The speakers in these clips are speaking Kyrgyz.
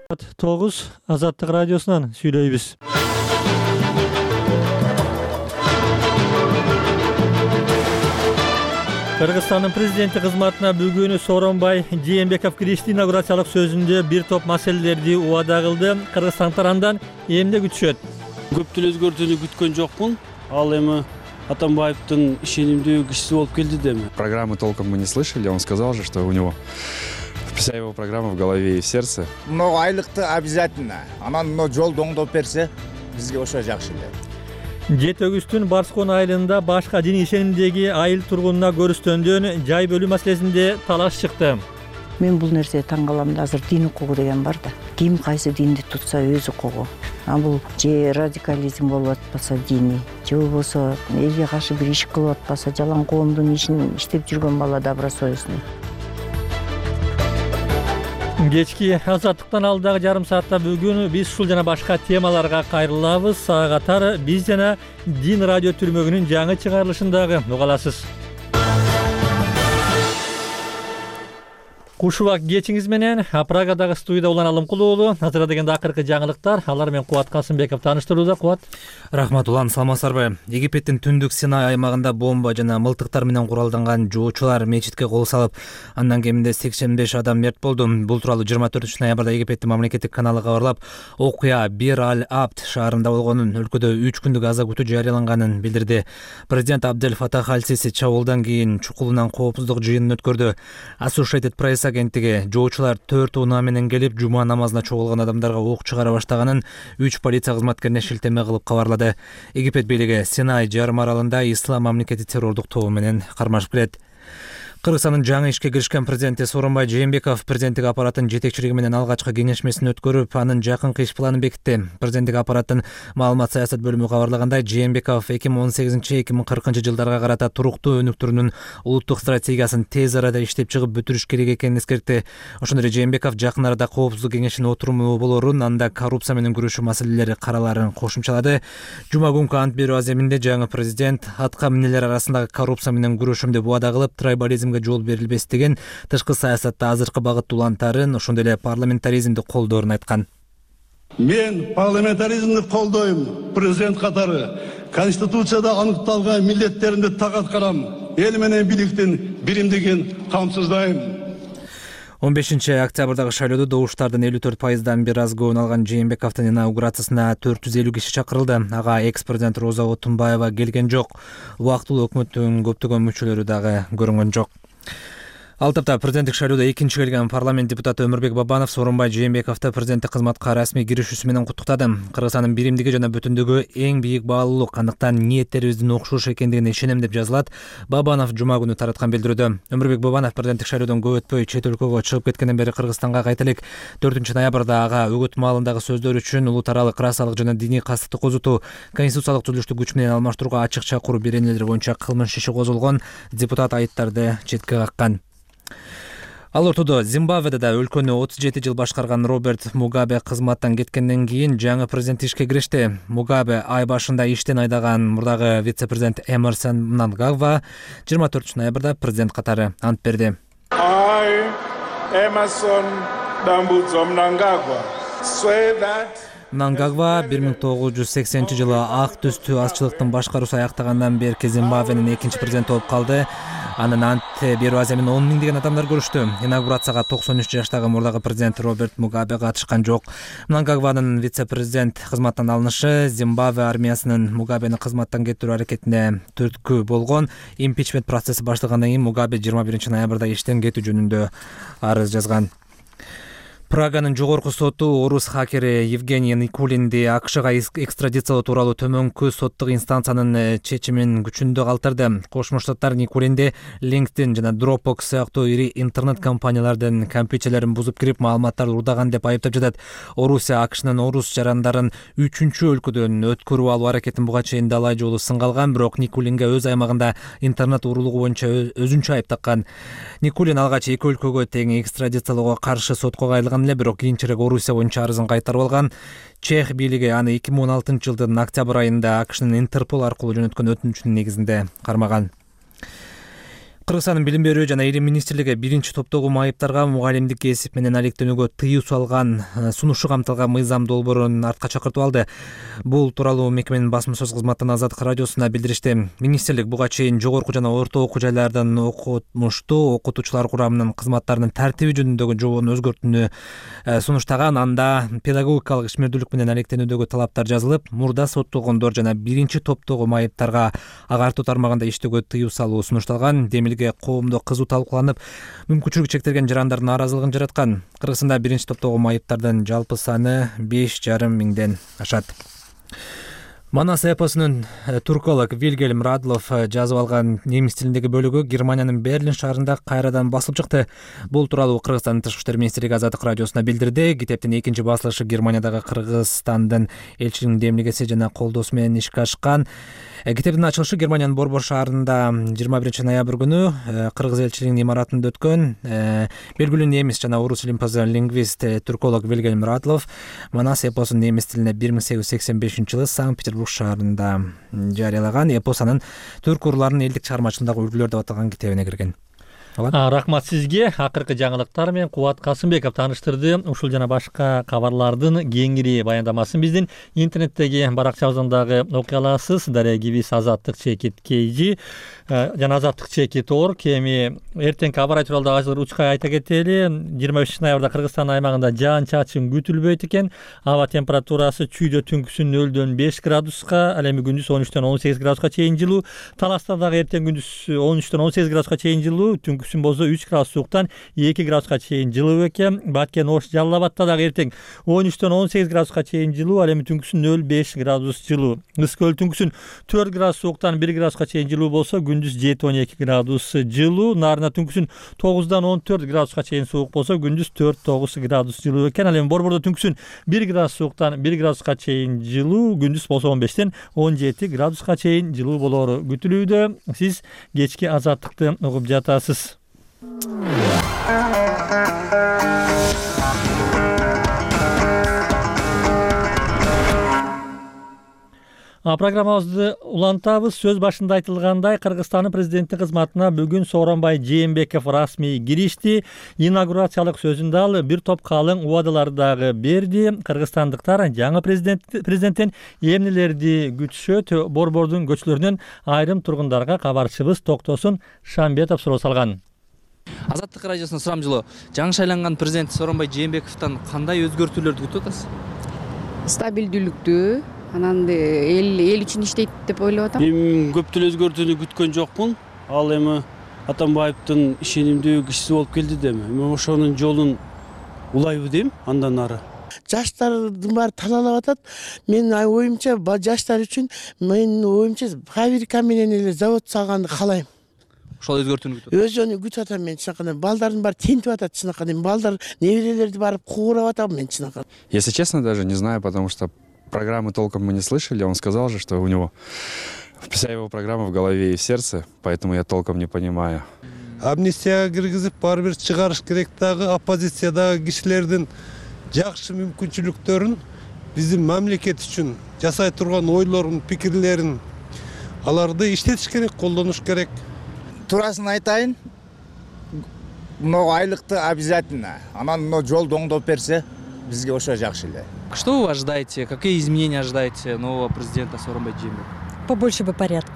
9 Азаттык радиосунан сүйлөйбүз. Кыргызстандын президенти кызматына бүгүн Сооронбай Жээнбеков киришти. Инаугурациялык сөзүндө бир топ маселелерди убада кылды. Кыргызстандыктар андан эмне күтүшөт? Көптөн өзгөртүүнү күткөн жокмун. Ал эми Атамбаевдин ишенимдүү кишиси болуп келди деми. Программы толком мы не слышали. Он сказал же, что у него вся его программа в голове и в сердце. Много айлыкты обязательно. Анан жолду оңдоп берсе, бизге ошо жакшы эле. Жет өгүстүн Барскон айылында башка дин ишенимдеги айыл тургунуна көрүстөндөн жай бөлүү маселесинде талаш чыкты. Мен бул нерсеге таң калам да, азыр дин укугу деген бар да. Ким кайсы динди тутса өз укугу. А бул же радикализм болуп атпаса дини, же болбосо элге каршы бир иш кылып атпаса, жалаң коомдун ишин иштеп жүргөн бала добросовестный. Кечки Азаттыктан алдагы жарым саатта бүгүн биз ушул жана башка темаларга кайрылабыз. Сага катар биз жана Дин радио түрмөгүнүн жаңы чыгарылышындагы уга аласыз. Кушубак кечиңиз менен Прагадагы студияда Улан Алымкул уулу. Азыр дегенде акыркы жаңылыктар. Алар менен Кубат Касымбеков тааныштырууда. Кубат. Рахмат Улан, саламатсыздарбы? Египеттин түндүк Синай аймагында бомба жана мылтыктар менен куралданган жоочулар мечитке кол салып, андан кеминде 85 адам мерт болду. Бул тууралуу 24 ноябрда Египеттин мамлекеттик каналы кабарлап, окуя Бир аль-Абд шаарында болгонун, өлкөдө 3 күндүк аза күтүү жарыяланганын билдирди. Президент Абдель Фатах аль-Сиси чабуулдан кийин чукулунан коопсуздук жыйынын өткөрдү. Associated Press агенттиги жоочулар 4 унаа менен келип, жума намазына чогулган адамдарга ок чыгара баштаганын 3 полиция кызматкерине шилтеме кылып кабарлады. Египет бийлиги Синай жарым аралында ислам мамлекети террордук тобу менен кармашып келет. Кыргызстандын жаңы ишке киришкен президенти Сооронбай Жээнбеков президенттик аппараттын жетекчилиги менен алгачкы кеңешмесин өткөрүп, анын жакынкы иш планын бекитти. Президенттик аппараттын маалымат саясат бөлүмү кабарлагандай, Жээнбеков 2018-2040 жылдарга карата туруктуу өнүктүрүүнүн улуттук стратегиясын тез арада иштеп чыгып бүтүрүш керек экенин эскертти. Ошондой эле Жээнбеков жакын арада коопсуздук кеңешинин отуруму болорун, анда коррупция менен күрөшүү маселелери караларын кошумчалады. Жума күнкү ант берүү аземинде жаңы президент атка минелер арасындагы коррупция менен күрөшөм деп убада кылып, трайбализм жол берилбес деген тышкы саясатта азыркы багыт улантарын, ошондой эле парламентаризмди колдоорун айткан. Мен парламентаризмди колдойм. Президент катары Конституцияда аныкталган милдеттеримди так аткарам. Эл менен бийликтин биримдигин камсыздайм. 15 октябрдагы шайлоодо добуштардын 54%дан бир аз көбүн алган Жээнбековдун инаугурациясына 450 киши чакырылды. Ага экс-президент Роза Отунбаева келген жок. Убактылуу өкмөттүн көптөгөн мүчөлөрү дагы көрүнгөн жок. Ал тапта президенттик шайлоодо экинчи келген парламент депутаты Өмүрбек Бабанов Сооронбай Жээнбековду президенттик кызматка расмий киришүүсү менен куттуктады. Кыргызстандын биримдиги жана бүтүндүгү эң бийик баалуулук, андыктан ниеттерибиздин окшош экендигине ишенем деп жазылат. Бабанов жума күнү тараткан билдирүүдө. Өмүрбек Бабанов президенттик шайлоодон көп өтпөй чет өлкөгө чыгып кеткенден бери Кыргызстанга кайта элек. 4 ноябрда ага өгөт маалындагы сөздөр үчүн улут аралык расалык жана диний кастыкты козутуу, конституциялык түзүлүштү күч менен алмаштырууга ачык чакыруу беренелери боюнча кылмыш иши козголгон. Депутат айыптарды четке каккан. Ал ортодо Зимбабведе да өлкөнү 37 жыл башкарган Роберт Мугабе кызматтан кеткенден кийин жаңы президент ишке киришти. Мугабе ай башында иштен айдаган мурдагы вице-президент Эмерсон Мнангагва 24 ноябрда президент катары ант берди. Мнангагва 1980 жылы ак түстүү азчылыктын башкаруусу аяктагандан берки Зимбабвенин экинчи президенти болуп калды. Анын ант берүү аземин 10 миңдеген адамдар көрүштү. Инаугурацияга 93 жаштагы мурдагы президент Роберт Мугабе катышкан жок. Мнангагванын вице-президент кызматтан алынышы Зимбабве армиясынын Мугабени кызматтан кетирүү аракетине түрткү болгон. Импичмент процесси башталгандан кийин Мугабе 21 ноябрда иштен кетүү жөнүндө арыз жазган. Праганын жогорку соту орус хакери Евгений Никулинди АКШга экстрадициялоо тууралуу төмөнкү соттук инстанциянын чечимин күчүндө калтырды. Кошмо Штаттар Никулинди LinkedIn жана Dropbox сыяктуу ири интернет компаниялардын компьютерлерин бузуп кирип маалыматтарды урдаган деп айыптап жатат. Орусия АКШнын орус жарандарын 3-чү өлкөдөн өткөрүп алуу аракетин буга чейин далай жолу сынга алган, бирок Никулинге өз аймагында интернет уурулугу боюнча өзүнчө айып таккан. Никулин алгач эки өлкөгө тең экстрадициялоого каршы сотко кайрылган эле, бирок кийинчерээк Орусия боюнча арызын кайтарып алган. Чех бийлиги аны 2016 жылдын октябрь айында АКШнын Интерпол аркылуу жөнөткөн өтүнүчүнүн негизинде кармаган. Кыргызстандын билим берүү жана илим министрлиги биринчи топтогу майыптарга мугалимдик кесип менен алектенүүгө тыюу салган сунушу камтылган мыйзам долбоорун артка чакыртып алды. Бул тууралуу мекеменин басма сөз кызматынан Азаттык радиосуна билдиришти. Министрлик буга чейин жогорку жана орто окуу жайлардын окутмуштуу окутуучулар курамынын кызматтарынын тартиби жөнүндөгү жобону өзгөртүүнү сунуштаган. Анда педагогикалык ишмердүүлүк менен алектенүүдөгү талаптар жазылып, мурда соттолгондор жана биринчи топтогу майыптарга агартуу тармагында иштөөгө тыюу салуу сунушталган. Демилге коомдо кызуу талкууланып, мүмкүнчүлүгү чектелген жарандардын нааразылыгын жараткан. Кыргызстанда биринчи топтогу майыптардын жалпы саны 5,5 миңден ашат. Манас эпосунун турколог Вильгельм Радлов жазып алган немис тилиндеги бөлүгү Германиянын Берлин шаарында кайрадан басылып чыкты. Бул тууралуу Кыргызстандын Тышкы иштер министрлиги Азаттык радиосуна билдирди. Китептин экинчи басылышы Германиядагы Кыргызстандын элчилигинин демилгеси жана колдоосу менен ишке ашкан. Китептин ачылышы Германиянын Борбор шаарында 21 ноябрь күнү Кыргыз элчилигинин имаратында өткөн. Белгилүү немис жана орус илимпазы лингвист турколог Вильгельм Радлов Манас эпосун немис тилине 1885-жылы Санкт-Петербург шаарында жарыялаган. Эпос анын түрк урууларынын элдик чыгармачылыгындагы үлгүлөр деп аталган китебине кирген. Рахмат сизге. Акыркы жаңылыктар менен Кубат Касымбеков тааныштырды. Ушул жана башка кабарлардын кеңири баяндамасын биздин интернеттеги баракчабыздан дагы окуй аласыз. Дарья Гибис, Азаттык чекит KG жана Азаттык чекит орг. Эми эртеңки аба ырайы тууралуу дагы учкай айта кетели. 25 ноябрда Кыргызстан аймагында жаан чачын күтүлбөйт экен. Аба температурасы чүйдө түнкүсүн 0-дөн 5 градуска, ал эми күндүз 13-дөн 18 градуска чейин жылуу. Таласта дагы эртең күндүз 13-дөн 18 градуска чейин жылуу. Түнкүсүн болсо 3 градус сууктан 2 градуска чейин жылуу экен. Баткен, Ош, Жалал Абадта дагы эртең 13-дөн 18 градуска чейин жылуу, ал эми түнкүсүн 0-5 градус жылуу. Ыск-Көл түнкүсүн 4 градус сууктан 1 градуска чейин жылуу болсо, күндүз 7-12 градус жылуу. Нарына түнкүсүн 9-дан 14 градуска чейин суук болсо, күндүз 4-9 градус жылуу экен. Ал эми Борбордо түнкүсүн 1 градус сууктан 1 градуска чейин жылуу, күндүз болсо 15-тен 17 градуска чейин жылуу болору күтүлүүдө. Сиз кечки Азаттыкты угуп жатасыз. Программабызды улантабыз. Сөз башында айтылгандай, Кыргызстандын президенти кызматына бүгүн Сооронбай Жээнбеков расмий киришти. Инаугурациялык сөзүндө ал бир топ калың убадаларды дагы берди. Кыргызстандыктар жаңы президенттен эмнелерди күтүшөт? Борбордун көчөлөрүнөн айрым тургундарга кабарчыбыз Токтосун Шамбетов суроо салган. Азаттык радиосуна сурамжылоо. Жаңы шайланган президент Сооронбай Жээнбековдон кандай өзгөртүүлөрдү күтүп атасыз? Стабилдүүлүктү, анан эл үчүн иштейт деп ойлоп атам. Мен көптөн өзгөртүүнү күткөн жокмун. Ал эми Атамбаевдин ишенимдүү кишиси болуп келди дем. Мен ошонун жолун улайбы дейм, андан ары. Жаштардын баары талалап атат. Мен оюмча жаштар үчүн менин оюмча фабрика менен эле завод салганды каалайм. Ошол өзгөртүүнү күтүп. Өзүнү күтүп атам мен чынакай. Балдардын баары тинтип атат чынакай. Балдар неберелерди барып куугурап атам мен чынакай. Если честно, даже не знаю, потому что программы толком мы не слышали. Он сказал же, что у него вся его программа в голове и в сердце, поэтому я толком не понимаю. Амнистияга киргизип, баары бир чыгарыш керек дагы оппозициядагы кишилердин жакшы мүмкүнчүлүктөрүн биздин мамлекет үчүн жасай турган ойлорун, пикирлерин аларды иштетиш керек, колдонуш керек. Турасын айтайын, мына айлыкты обязательно. Анан мына жолду оңдоп берсе, бизге ошо жакшы эле. Что вы ожидаете? Какие изменения ожидаете нового президента Сооронбай Жээнбекова? Побольше бы порядка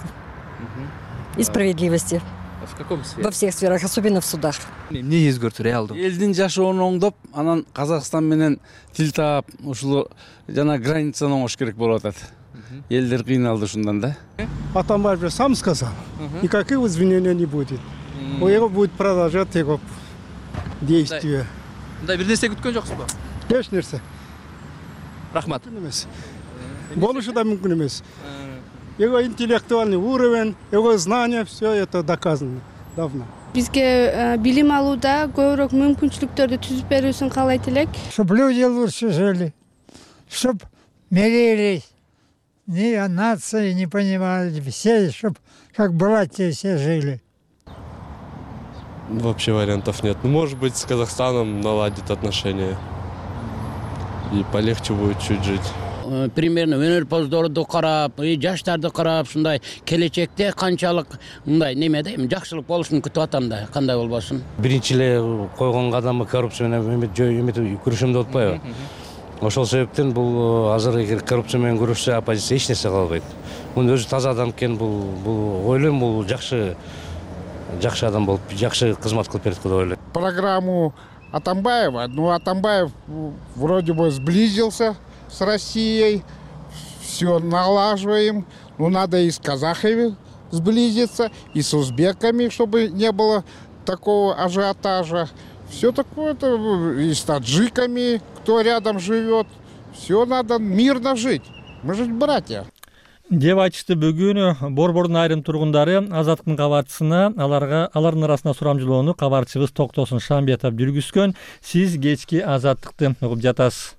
и справедливости. В каком сфере? Во всех сферах, особенно в судах. Эмне өзгөртүү реалдуу? Элдин жашоонун оңдоп, анан Казакстан менен тил таап, ушул жана границаны оңош керек болуп атат. Элдер кыйналды ушундан да. Атамбаев же сам сказал, никаких извинений не будет. У него будет продолжать его действия. Мындай бир нерсе күткөн жоксузбу? Эч нерсе. Рахмат. Болушу да мүмкүн эмес. Его интеллектуальный уровень, его знания, все это доказано давно. Бизге билим алууда көбүрөөк мүмкүнчүлүктөрдү түзүп берүүсүн каалайт элек. Чтоб люди лучше жили, чтоб мирились, ни о нации не понимали, все, чтоб как братья все жили. Вообще вариантов нет. Ну, может быть, с Казахстаном наладит отношения. И полегче будет чуть жить. примерно өнөрпоздорду карап, жаштарды карап, ушундай келечекте канчалык мындай немеде жакшылык болушун күтүп атам да, кандай болбосун. Биринчи эле койгон кадамы коррупция менен күрөшөм деп атпайбы? Ошол себептен бул азыр эгер коррупция менен күрөшсө оппозиция эч нерсе кыла албайт. Муну өзү таза адам экен, бул ойлойм бул жакшы адам болуп, жакшы кызмат кылып берет деп ойлойм. Программу Атамбаева, Атамбаев вроде бы сблизился с Россией, все налаживаем, надо и с казахами сблизиться, и с узбеками, чтобы не было такого ажиотажа. Все такое-то, и с таджиками, кто рядом живет, все надо мирно жить, мы же братья. Деп айтышты бүгүн Борбордун айрым тургундары. Азаттыктын кабарчысына алардын арасында сурамжылоону кабарчыбыз Токтосун Шамбетов жүргүзгөн. Сиз кечки Азаттыкты угуп жатасыз.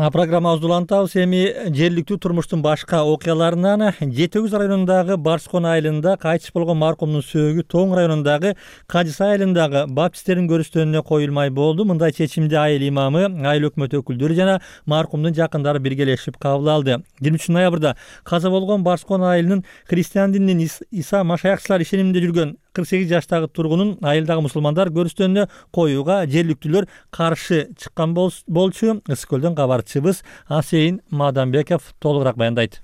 Программабызды улантабыз. Эми жергиликтүү турмуштун башка окуяларынан Жети Өгүз районундагы Барскон айылында кайтыш болгон маркумдун сөөгү Тоң районундагы Кажысай айылындагы баптисттердин көрүстөнүнө коюлмай болду. Мындай чечимди айыл имамы, айыл өкмөт өкүлдөрү жана маркумдун жакындары биргелешип кабыл алды. 23 ноябрда каза болгон Барскон айылынын христиан дининин Иса Машаякчылар ишениминде жүргөн 48 жаштагы тургунун айылдагы мусулмандар көрүстөнүнө коюуга жергиликтүүлөр каршы чыккан болчу. Ысык-Көлдөн кабарчыбыз Асейин Маданбеков толугураак баяндайт.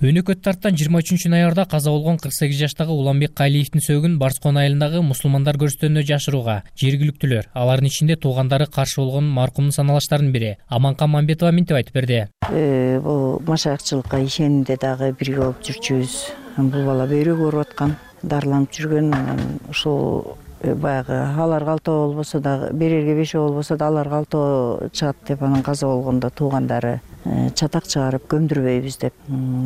Өнөкөт тарттан 23 ноябрда каза болгон 48 жаштагы Уланбек Калиевдин сөөгүн Барскон айылындагы мусулмандар көрүстөнүнө жашырууга жергиликтүүлөр, алардын ичинде туугандары каршы болгон маркумдун саналаштарынын бири Аманкан Мамбетова мынтип айтып берди. Бул машаякчылыкка ишенимде дагы бирге болуп жүрчүбүз. Бул бала бөйрө көрүп аткан, дарыланып жүргөн, ушул баягы алар калтоо болбосо дагы, берерге бешөө болбосо да алар калтоо чыгат деп анан каза болгондо туугандары чатак чыгарып көмдүрбөйбүз деп,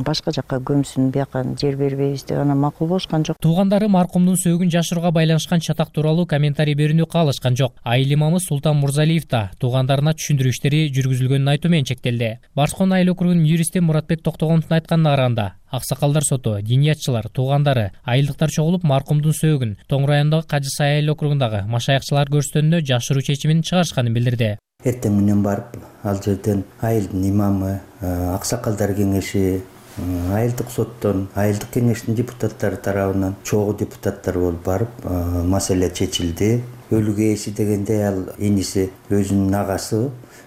башка жакка көмсүн, бияка жер бербейбиз деп анан макул болушкан жок. Туугандары маркумдун сөөгүн жашырууга байланышкан чатак тууралуу комментарий берүүнү каалашкан жок. Айыл имамы Султан Мурзалиев да туугандарына түшүндүрүү иштери жүргүзүлгөнүн айтуу менен чектелди. Барскон айыл округунун юристи Муратбек Токтогоновдун айтканына караганда, аксакалдар соту, диниятчылар, туугандары, айылдыктар чогулуп маркумдун сөөгүн Тоң районундагы Кажысай айыл округундагы Машаякчылар көрүстөнүнө жашыруу чечимин чыгарышканын билдирди. Эртең менен барып, ал жерден айылдын имамы, аксакалдар кеңеши, айылдык соттон, айылдык кеңештин депутаттары тарабынан чогуу депутаттар болуп барып, маселе чечилди. Өлүгө ээси дегенде ал иниси өзүнүн агасы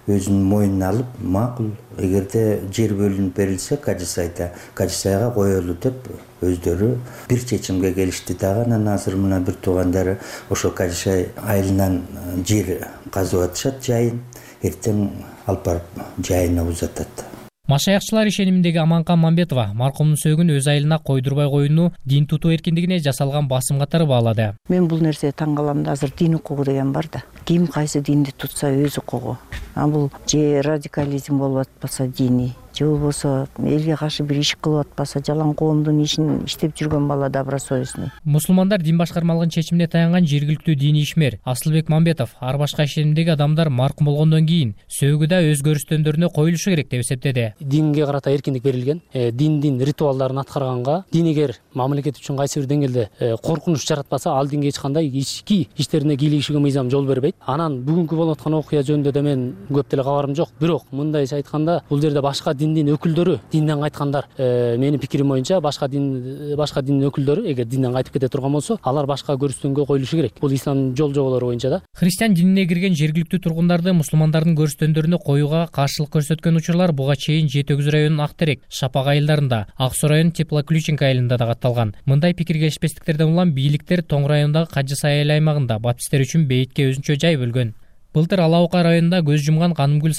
өзүнүн мойнуна алып, макул, эгерде жер бөлүнүп берилсе Кажысайга коелу деп өздөрү бир чечимге келишти дагы. Анан азыр мына бир туугандары ошо Кажысай айылынан жер казып атышат, жайын эртең алып барып жайына узатат. Машаякчылар ишениминдеги Аманкан Мамбетова маркумдун сөөгүн өз айылына койдурбай коюуну дин тутуу эркиндигине жасалган басым катары баалады. Мен бул нерсеге таң калам да, азыр дин укугу деген бар да. Ким кайсы динди тутса өз укугу. Бул же радикализм болуп атпаса дини, же болбосо элге каршы бир иш кылып атпаса, жалаң коомдун ишин иштеп жүргөн бала добросовестный. Мусулмандар дин башкармалыгынын чечимине таянган жергиликтүү дини ишмер Асылбек Мамбетов ар башка ишенимдеги адамдар маркум болгондон кийин сөөгү да өз көрүстөндөрүнө коюлушу керек деп эсептеди. Динге карата эркиндик берилген, диндин ритуалдарын аткарганга, дин эгер мамлекет үчүн кайсы бир деңгээлде коркунуч жаратпаса, ал динге эч кандай ички иштерине кийлигишүүгө мыйзам жол бербейт. Анан бүгүнкү болуп аткан окуя жөнүндө да мен көп деле кабарым жок. Бирок мындайча айтканда, бул жерде башка диндин өкүлдөрү, динден кайткандар, менин пикирим боюнча башка диндин өкүлдөрү эгер динден кайтып кете турган болсо, алар башка көрүстөнгө коюлушу керек. Бул ислам жол жоболору боюнча да. Христиан динине кирген жергиликтүү тургундарды мусулмандардын көрүстөндөрүнө коюуга каршылык көрсөткөн учурлар буга чейин Жети Өгүз районунун Актерек, Шапак айылдарында, Ак Суу районунун Теплоключенко айылында да катталган. Мындай пикир келишпестиктерден улам бийликтер Тоң районундагы Кажысай айыл аймагында баптисттер үчүн бейитке өзүнчө жай бөлгөн. Былтыр Ала Ока районунда көз жумган Канымгүл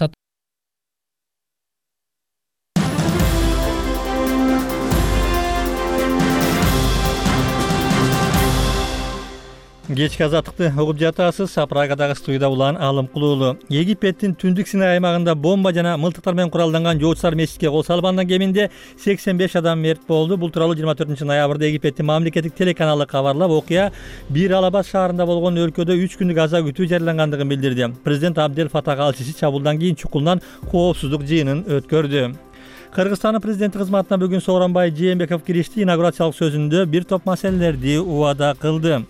Кечки Азаттыкты угуп жатасыз. Прагадагы студияда улан Алымкул уулу. Египеттин түндүк Синай аймагында бомба жана мылтыктар менен куралданган жоочулар мечитке кол салгандан кеминде 85 адам мерт болду. Бул тууралуу 24 ноябрда Египеттин мамлекеттик телеканалы кабарлап, окуя Бир Алабад шаарында болгон өлкөдө 3 күндүк аза күтүү жарыялангандыгын билдирди. Президент Абдел Фатах Ал-Сиси чабуулдан кийин чукулунан коопсуздук жыйынын өткөрдү. Кыргызстандын президенти кызматына бүгүн Сооронбай Жээнбеков киришти. Инаугурациялык сөзүндө бир топ маселелерди убада кылды.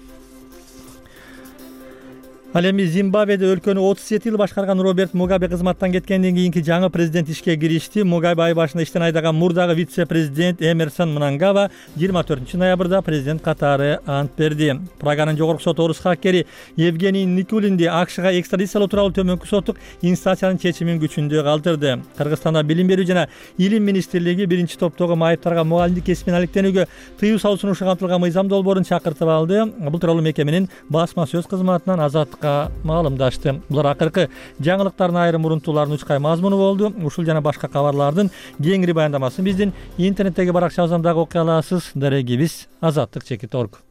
Ал эми Зимбабведе өлкөнү 37 жыл башкарган Роберт Мугабе кызматтан кеткенден кийинки жаңы президент ишке киришти. Мугабе ай башында иштен айдаган мурдагы вице-президент Эмерсон Мнангагва 24 ноябрда президент катары ант берди. Праганын жогорку соту орус хаккери Евгений Никулинди АКШга экстрадициялоо тууралуу төмөнкү соттук инстанциянын чечимин күчүндө калтырды. Кыргызстанда билим берүү жана илим министрлиги биринчи топтогу майыптарга мугалимдик кесибин алектенүүгө тыюу салуусун кантылган мыйзам долбоорун чакыртып алды. Бул тууралуу мекеменин басма сөз кызматынан Азаттыкка маалымдашты. Булар акыркы жаңылыктардын айрым урунтууларынын учкай мазмуну болду. Ушул жана башка кабарлардын кеңири баяндамасын биздин интернеттеги баракчабыздан дагы окуй аласыз. Дарегибиз azatlyk.org.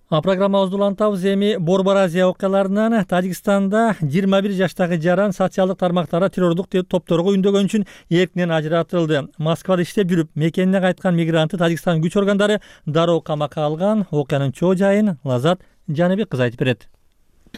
Программабызды улантабыз. Эми Борбор Азия окуяларынан Тажикстанда 21 жаштагы жаран социалдык тармактарда террордук топторго үндөгөн үчүн эркинен ажыратылды. Москвада иштеп жүрүп, мекенине кайткан мигрантты Тажикстан күч органдары дароо камакка алган. Окуянын чоо жайын Лазат Жаныбек кыз айтып берет.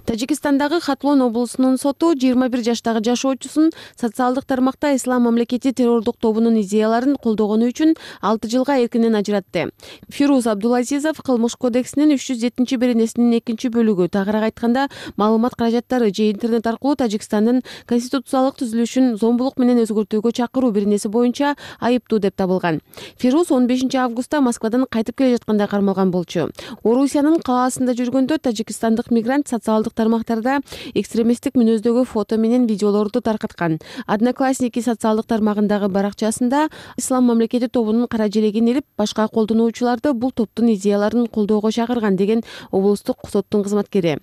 Тажикстандагы Хатлон облусунун соту 21 жаштагы жашоочусун социалдык тармакта Ислам мамлекети террордук тобунун идеяларын колдогону үчүн 6 жылга эркинен ажыратты. Фируз Абдулазизов Кылмыш кодексинин 307 беренесинин 2 бөлүгү, тагыраак айтканда, маалымат каражаттары же интернет аркылуу Тажикстандын конституциялык түзүлүшүн зомбулук менен өзгөртүүгө чакыруу беренеси боюнча айыптуу деп табылган. Фируз 15 августта Москвадан кайтып келе жатканда кармалган болчу. Орусиянын калаасында жүргөндө тажикстандык мигрант социалдык тармактарда экстремисттик мүнөздөгү фото менен видеолорду таркаткан. Одноклассники социалдык тармагындагы баракчасында Ислам мамлекети тобунун кара желегин илип, башка колдонуучуларды бул топтун идеяларын колдоого чакырган деген облустук соттун кызматкери.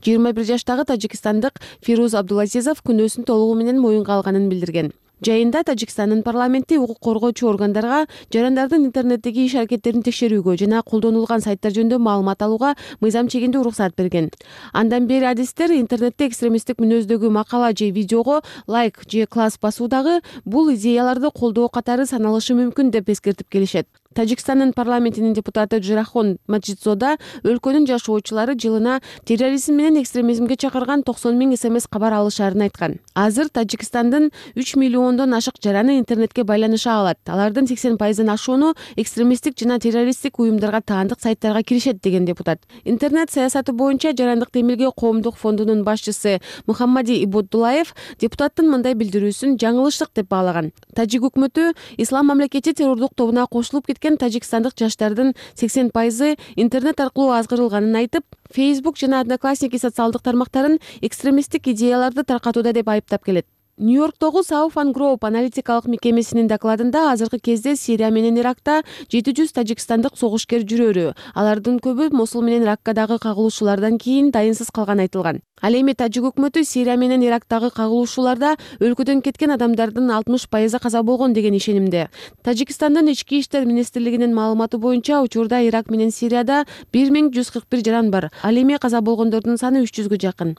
21 жаштагы тажикстандык Фируз Абдулазизов күнөөсүн толугу менен моюнга алганын билдирген. Жайында Тажикстандын парламенти укук коргоочу органдарга жарандардын интернеттеги иш аракеттерин текшерүүгө жана колдонулган сайттар жөнүндө маалымат алууга мыйзам чегиндүү уруксат берген. Андан бери адистер интернетте экстремисттик мүнөздөгү макала же видеого лайк же класс басуудагы бул идеяларды колдоо катары саналышы мүмкүн деп эскертип келишет. Тажикстандын парламентинин депутаты Джирахон Маджидзода өлкөнүн жашоочулары жылына терроризм менен экстремизмге чакырган 90 000 СМС кабар алышарын айткан. Азыр Тажикстандын 3 миллиондон ашык жараны интернетке байланыша алат. Алардын 80% ашууну экстремисттик жана террористтик уюмдарга таандык сайттарга киришет деген депутат. Интернет саясаты боюнча Жарандык Демилге коомдук фондунун башчысы Мухаммади Ибоддулаев депутаттын мындай билдирүүсүн жаңылыштык деп баалаган. Тажик өкмөтү Ислам мамлекети террордук тобуна кошулуп тажикстандык жаштардын 80% интернет аркылуу азгырылганын айтып, Facebook жана Одноклассники социалдык тармактарын экстремисттик идеяларды таркатууда деп айыптап келет. Нью-Йорктогу South and Group аналитикалык мекемесинин докладында азыркы кезде Сирия менен Иракта 700 тажикстандык согушкер жүрөрү, алардын көбү Мосул менен Раккадагы кагылышуулардан кийин дайынсыз калган айтылган. Ал эми Тажик өкмөтү Сирия менен Ирактагы кагылышууларда өлкөдөн кеткен адамдардын 60% каза болгон деген ишенимде. Тажикстандын ички иштер министрлигинин маалыматы боюнча учурда Ирак менен Сирияда 1141 жаран бар. Ал эми каза болгондордун саны 300гө жакын.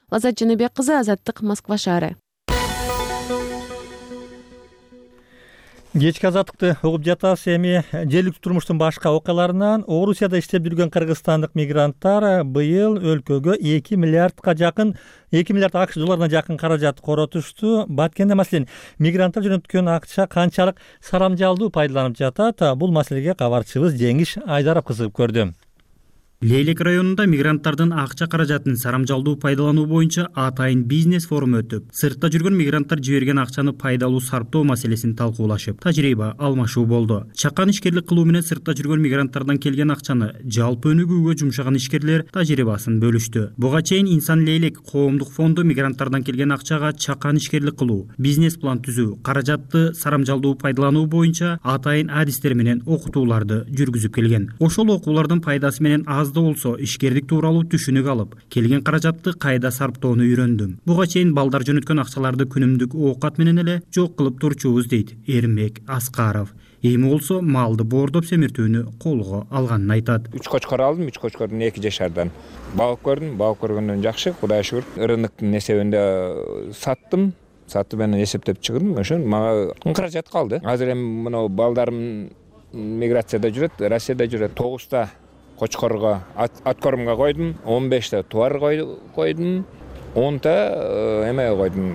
Лазат Жаныбек кызы, Азаттык, Москва шаары. Кечки азаттыкты угуп жатасыз. Эми жергиликтүү турмуштун башка окуяларынан Орусияда иштеп жүргөн кыргызстандык мигранттар быйыл өлкөгө 2 миллиард акш долларына жакын каражат коротушту. Баткенде маселен мигранттар жөнөткөн акча канчалык сарамжалдуу пайдаланып жатат? Бул маселеге кабарчыбыз Жеңиш Айдаров кызыгып көрдү. Лейлек районунда мигранттардын акча каражатын сарамжалдуу пайдалануу боюнча атайын бизнес форум өтүп, сыртта жүргөн мигранттар жиберген акчаны пайдалуу сарптоо маселесин талкуулашып, тажрыйба алмашуу болду. Чакан ишкерлик кылуу менен сыртта жүргөн мигранттардан келген акчаны жалпы өнүгүүгө жумшаган ишкерлер тажрыйбасын бөлүштү. Буга чейин Инсан Лейлек коомдук фонду мигранттардан келген акчага чакан ишкерлик кылуу, бизнес план түзүү, каражатты сарамжалдуу пайдалануу боюнча атайын адистер менен окутууларды жүргүзүп келген. Ошол окуулардын пайдасы менен да болсо ишкерлик тууралуу түшүнүк алып, келген каражатты кайда сарптоону үйрөндүм. Буга чейин балдар жөнөткөн акчаларды күнүмдүк оокат менен эле жок кылып турчубуз дейт Эрмек Аскаров. Эми болсо малды боордоп семиртүүнү колго алганын айтат. 3 кочкор алдым, 3 кочкордун 2 жашардан. Багып көрдүм, багып көргөндөн жакшы, Кудайга шүгүр. Рыноктун эсебинде саттым менен эсептеп чыгдым. Ошо мага каражат калды. Азыр эми мына балдарым миграцияда жүрөт, Россияда жүрөт. 9 кочкорго откормго койдум, 15 тубар койдум, 10 эме койдум,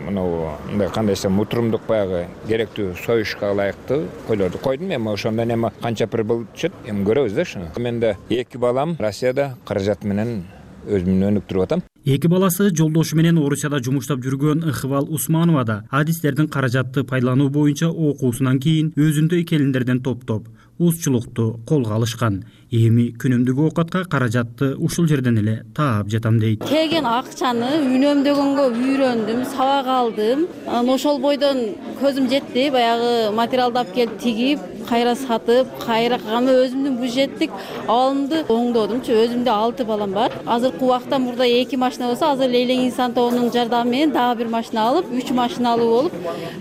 мындай кандай десем, утурумдук баягы керектүү союшка ылайыктуу койлорду койдум. Эми ошондон эми канча прибыль түшөт, эми көрөбүз да ушуну. Менде 2 балам Россияда каражат менен өзүмдү өнүктүрүп атам. 2 баласы жолдошу менен Орусияда жумуштап жүргөн Ыкыбал Усманова да адистердин каражатты пайдалануу боюнча окуусунан кийин өзүндөй келиндерден топтоп узчулукту колго алышкан. Эми күнүмдүк оокатка каражатты ушул жерден эле таап жатам дейт. Келген акчаны үнөмдөгөнгө үйрөндүм, сабак алдым. Ошол бойдон көзүм жетти, баягы материалды алып келип тигип, кайра сатып, кайра кылганда өзүмдүн бюджеттик абалымды оңдодумчу. Өзүмдө 6 балам бар. Азыркы убакта мурда 2 машина болсо, азыр Лейлең инсан тобунун жардамы менен дагы 1 машина алып, 3 машиналуу болуп,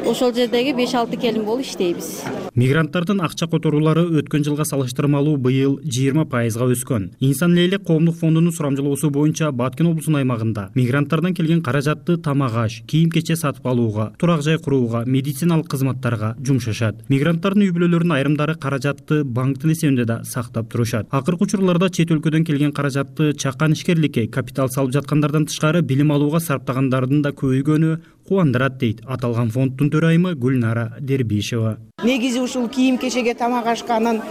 ошол жердеги 5-6 келин болуп иштейбиз. Мигранттардын акча которуулары өткөн жылга салыштырмалуу быйыл 20% өскөн. Инсан Лейлек коомдук фондунун сурамжылоосу боюнча Баткен облусунун аймагында мигранттардан келген каражатты тамак-аш, кийим-кече сатып алууга, турак жай курууга, медициналык кызматтарга жумшашат. Мигранттардын үй бүлөлөрүнүн айрымдары каражатты банктын эсебинде да сактап турушат. Акыркы учурларда чет өлкөдөн келген каражатты чакан ишкерликке, капитал салып жаткандардан тышкары билим алууга сарптагандардын да көбөйгөнү кубандырат дейт аталган фонддун төрайымы Гүлнара Дербишева. Негизи ушул кийим-кечеге, тамак-ашка, анан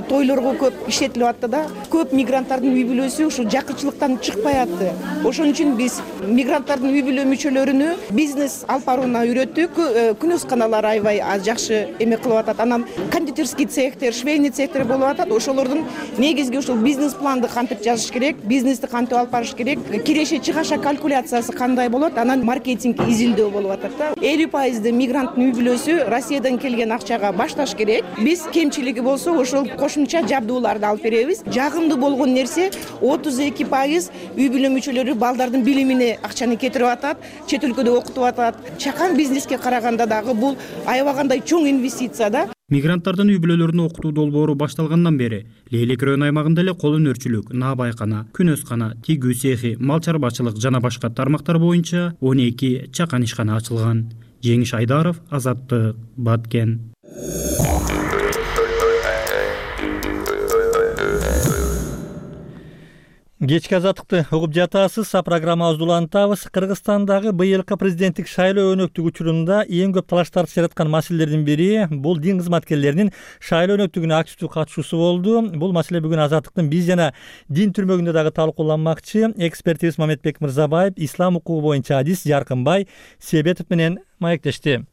тойлорго көп иштетилип атты да. Көп мигранттардын үй бүлөсү ушул жакынчылыктан чыкпай атты. Ошон үчүн биз мигранттардын үй бүлө мүчөлөрүнү бизнес алып барууна үйрөттүк. Күнөсканалар аябай жакшы эме кылып атат. Анан кондитерский цехтер, швейный цехтер болуп атат. Ошолордун негизги ушул бизнес планды кантип жазыш керек, бизнести кантип алып барыш керек, киреше чыгаша калькуляциясы кандай болот, анан маркетинг изилдөө болуп атат да. 50% мигранттын үй бүлөсү Россиядан келген акчага башташ керек. Биз кемчилиги болсо ошол кошумча жабдууларды алып беребиз. Жагымдуу болгон нерсе 32% үй бүлө мүчөлөрү балдардын билимине акчаны кетирип атат, чет өлкөдө окутуп атат. Чакан бизнеске караганда дагы бул аябагандай чоң инвестиция да. Мигранттардын үй бүлөлөрүн окутуу долбоору башталгандан бери Лейлек району аймагында эле кол өнөрчүлүк, наабайкана, күнөскана, тигүү цехи, мал чарбачылык жана башка тармактар боюнча 12 чакан ишкана ачылган. Жеңиш Айдаров, Азаттык, Баткен. Кечки азаттыкты угуп жатасыз. Программабызды улантабыз. Кыргызстандагы быйылкы президенттик шайлоо өнөктүгү учурунда эң көп талаштарды жараткан маселелердин бири бул дин кызматкерлеринин шайлоо өнөктүгүнө активдүү катышуусу болду. Бул маселе бүгүн Азаттыктын биз жана дин түрмөгүндө дагы талкууланмакчы. Экспертибиз Мамедбек Мырзабаев ислам укугу боюнча адис Жаркынбай Себетов менен маектешти.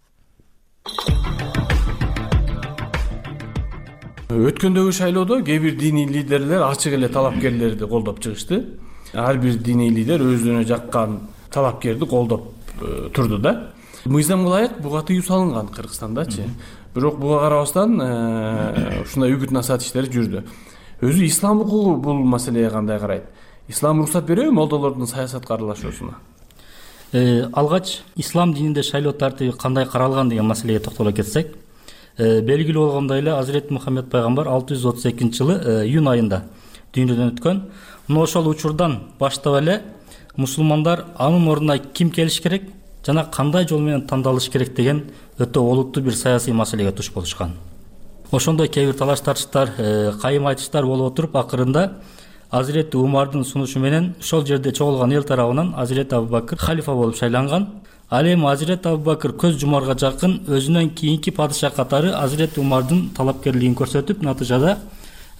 Өткөндөгү шайлоодо кээ бир диний лидерлер ачык эле талапкерлерди колдоп чыгышты. Ар бир диний лидер өзүнө жаккан талапкерди колдоп турду да. Мыйзамга ылайык буга тыюу салынган Кыргызстандачы. Бирок буга карабастан ушундай үгүт насаат иштери жүрдү. Өзү ислам укугу бул маселеге кандай карайт? Ислам уруксат береби молдолордун саясатка аралашуусуна? Алгач ислам дининде шайлоо тартиби кандай каралган деген маселеге токтоло кетсек, белгилүү болгондой эле Азирет Мухаммед пайгамбар 632-жылы июнь айында дүйнөдөн өткөн. Мына ошол учурдан баштап эле мусулмандар анын ордуна ким келиш керек жана кандай жол менен тандалыш керек деген өтө олуттуу бир саясий маселеге туш болушкан. Ошондой кээ бир талаш тартыштар, кайым айтыштар болуп отуруп, акырында Азирет Умардын сунушу менен ошол жерде чогулган эл тарабынан Азирет Абубакыр халифа болуп шайланган. Ал эми Азирет Абубакыр көз жумарга жакын өзүнөн кийинки падыша катары Азирет Умардын талапкерлигин көрсөтүп, натыйжада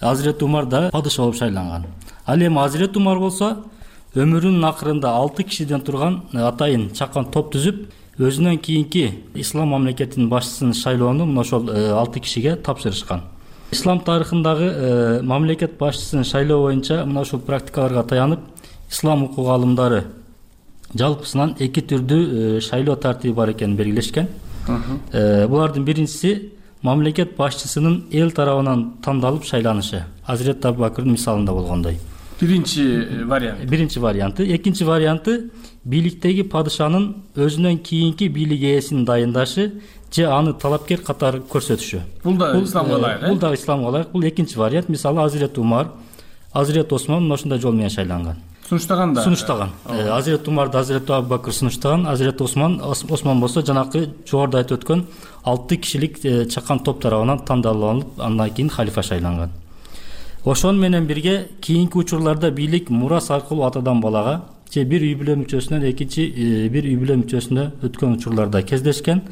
Азирет Умар да падыша болуп шайланган. Ал эми Азирет Умар болсо өмүрүнүн акырында 6 кишиден турган атайын чакан топ түзүп, өзүнөн кийинки ислам мамлекетинин башчысын шайлоону мына ошол 6 кишиге тапшырышкан. Ислам тарыхындагы мамлекет башчысын шайлоо боюнча мына ушул практикаларга таянып, ислам укугу алымдары жалпысынан 2 түрдүү шайлоо тартиби бар экенин белгилешкен. Булардын биринчиси мамлекет башчысынын эл тарабынан тандалып шайланышы. Азирет Абубакырдын мисалында болгондой. Биринчи варианты. Экинчи варианты бийликтеги падышанын өзүнөн кийинки бийлик ээсин дайындашы же аны талапкер катары көрсөтүшү. Бул да исламга ылайык. Бул да исламга ылайык. Бул экинчи вариант. Мисалы Азирет Умар, Азирет Осман ошондой жол менен шайланган. Сунуштаган да. Сунуштаган. Азирет Умарды Азирет Абубакыр сунуштаган, Азирет Осман болсо жанакы жогоруда айтып өткөн 6 кишилик чакан топ тарабынан тандалып, андан кийин халифа шайланган. Ошон менен бирге кийинки учурларда бийлик мурас аркылуу атадан балага же бир үй бүлө мүчөсүнөн экинчи бир үй бүлө мүчөсүнө өткөн учурларда кездешкен.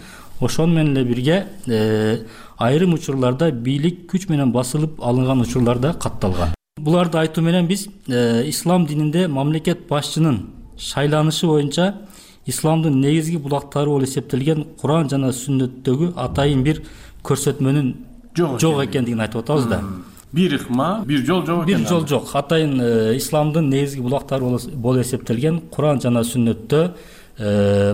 Ошону менен эле бирге айрым учурларда бийлик күч менен басылып алынган учурлар да катталган. Буларды айтуу менен биз ислам дининде мамлекет башчынын шайланышы боюнча исламдын негизги булактары болуп эсептелген Куран жана Сүннөттөгү атайын бир көрсөтмөнүн жок экендигин айтып атабыз да. Бир ыкма, бир жол жок экен. Бир жол жок. Атайын исламдын негизги булактары болуп эсептелген Куран жана Сүннөттө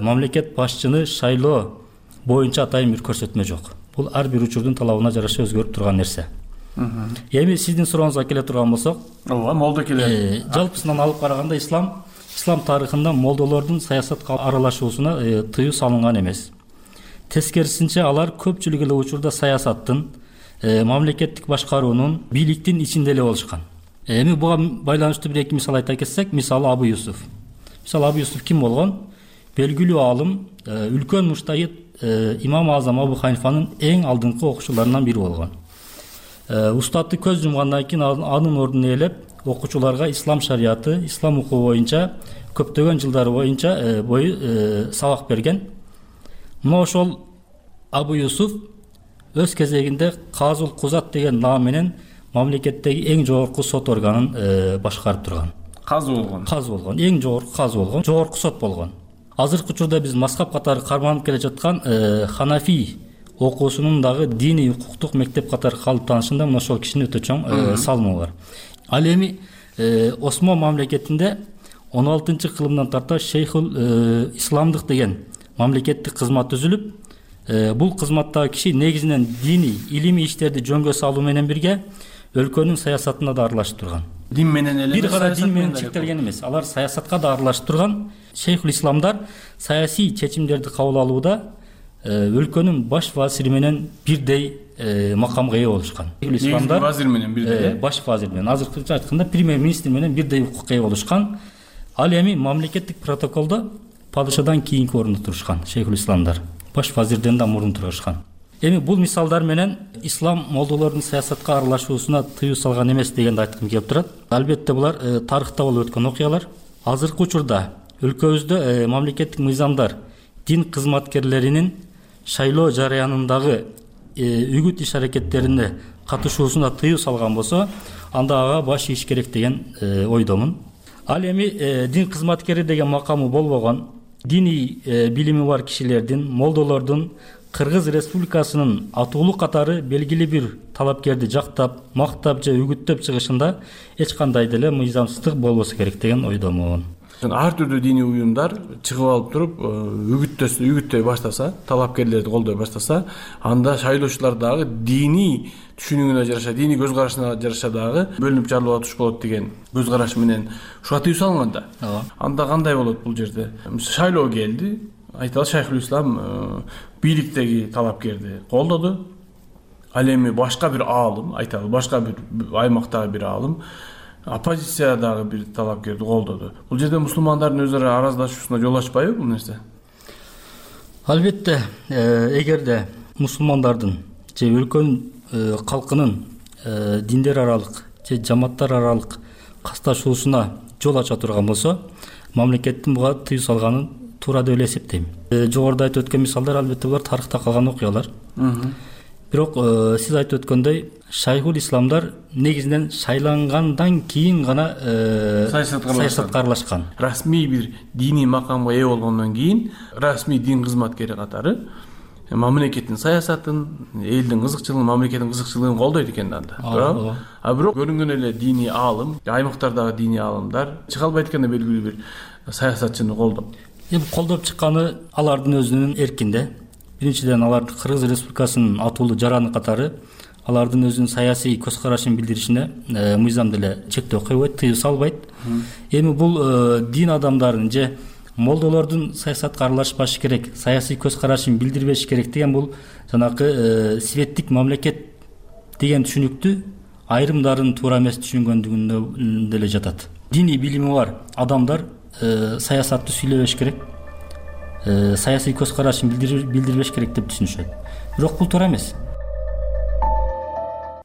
мамлекет башчыны шайлоо боюнча атайын бир көрсөтмө жок. Бул ар бир учурдун талабына жараша өзгөрүп турган нерсе. Эми сиздин сурооңузга келе турган болсок, ооба, молдо келе. Жалпысынан алып караганда ислам тарыхында молдолордун саясатка аралашуусуна тыюу салынган эмес. Тескерисинче алар көпчүлүк эле учурда саясаттын, мамлекеттик башкаруунун, бийликтин ичинде эле болушкан. Эми буга байланыштуу бир эки мисал айта кетсек, мисалы Абу Юсуф. Мисалы Абу Юсуф ким болгон? Белгилүү аалым, үлкөн муштахид имам Азам Абу Ханифанын эң алдыңкы окуучуларынан бири болгон. Устаты көз жумгандан кийин анын ордун ээлеп, окуучуларга ислам шарияты, ислам укугу боюнча көптөгөн жылдар бою сабак берген. Мына ошол Абу Юсуф өз кезегинде Казул Кузат деген наам менен мамлекеттеги эң жогорку сот органын башкарып турган. Казы болгон. Казы болгон, эң жогорку казы болгон, жогорку сот болгон. Азыркы учурда биз мазхаб катары карманып келе жаткан Ханафи окуусунун дагы диний укуктук мектеп катары калыптанышында мына ошол кишинин өтө чоң салымы бар. Ал эми Осман мамлекетинде 16-кылымдан тарта Шейхул Исламдык деген мамлекеттик кызмат түзүлүп, бул кызматтагы киши негизинен диний, илимий иштерди жөнгө салуу менен бирге өлкөнүн саясатына да аралашып турган. Дин менен эле бир гана дин менен чектелген эмес, алар саясатка да аралашып турган. Шейхул Исламдар саясий чечимдерди кабыл алууда өлкөнүн баш вазири менен бирдей макамга ээ болушкан. Исламдар вазир менен бирдей, баш вазир менен, азыркыча айтканда премьер-министр менен бирдей укукка ээ болушкан. Ал эми мамлекеттик протоколдо падышадан кийинки орунда турушкан Шейхул Исламдар. Баш вазирден да мурун турушкан. Эми бул мисалдар менен ислам молдолордун саясатка аралашуусуна тыюу салган эмес дегенди айткым келип турат. Албетте булар тарыхта болуп өткөн окуялар. Азыркы учурда өлкөбүздө мамлекеттик мыйзамдар дин кызматкерлеринин шайлоо жараянындагы үгүт иш аракеттерине катышуусуна тыюу салган болсо, анда ага баш ийиш керек деген ойдомун. Ал эми дин кызматкери деген макамы болбогон, диний билими бар кишилердин, молдолордун Кыргыз Республикасынын атуулуу катары белгилүү бир талапкерди жактап, мактап же үгүттөп чыгышында эч кандай деле мыйзамсыздык болбосо керек деген ойдомун. Ар түрдүү диний уюмдар чыгып алып туруп үгүттөй баштаса, талапкерлерди колдой баштаса, анда шайлоочулар дагы диний түшүнүгүнө жараша, диний көз карашына жараша дагы бөлүнүп жарылууга туш болот деген көз караш менен ушуга тыюу салынганда. Анда кандай болот бул жерде? Шайлоо келди, айталы Шайхул Ислам бийликтеги талапкерди колдоду. Ал эми башка бир аалым, айталы башка бир аймактагы бир аалым оппозициядагы бир талапкерди колдоду. Бул жерде мусулмандардын өз ара араздашуусуна жол ачпайбы бул нерсе? Албетте, эгерде мусулмандардын же өлкөнүн калкынын диндер аралык же жамааттар аралык касташуусуна жол ача турган болсо, мамлекеттин буга тыюу салганын туура деп эле эсептейм. Жогоруда айтып өткөн мисалдар албетте булар тарыхта калган окуялар. Бирок сиз айтып өткөндөй, Шайхул Исламдар негизинен шайлангандан кийин гана саясатка аралашкан. Расмий бир диний макамга ээ болгондон кийин расмий дин кызматкери катары мамлекеттин саясатын, элдин кызыкчылыгын, мамлекеттин кызыкчылыгын колдойт экен анда. Туура? А бирок көрүнгөн эле диний аалым, аймактардагы диний аалымдар чыга албайт экен белгилүү бир саясатчыны колдоп. Эми колдоп чыкканы алардын өзүнүн эркинде. Биринчиден алар Кыргыз Республикасынын атуулуу жараны катары алардын өзүнүн саясий көз карашын билдиришине мыйзам деле чектөө койбойт, тыюу салбайт. Эми бул дин адамдарын же молдолордун саясатка аралашпашы керек, саясий көз карашын билдирбеш керек деген бул жанакы светтик мамлекет деген түшүнүктү айрымдарын туура эмес түшүнгөндүгүндө деле жатат. Диний билими бар адамдар саясатты сүйлөбөш керек, саясий көз карашын билдирбеш керек деп түшүнүшөт. Бирок бул туура эмес.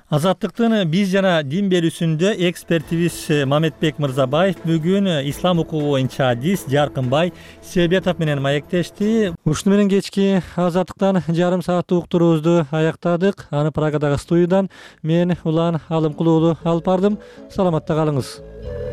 Азаттыктын биз жана дин берүүсүндө экспертибиз Мамедбек Мырзабаев бүгүн ислам укугу боюнча адис Жаркынбай Себетов менен маектешти. Ушуну менен кечки Азаттыктан жарым сааттык уктуруубузду аяктадык. Аны Прагадагы студиядан мен Улан Алымкулуулу алып бардым. Саламатта калыңыз.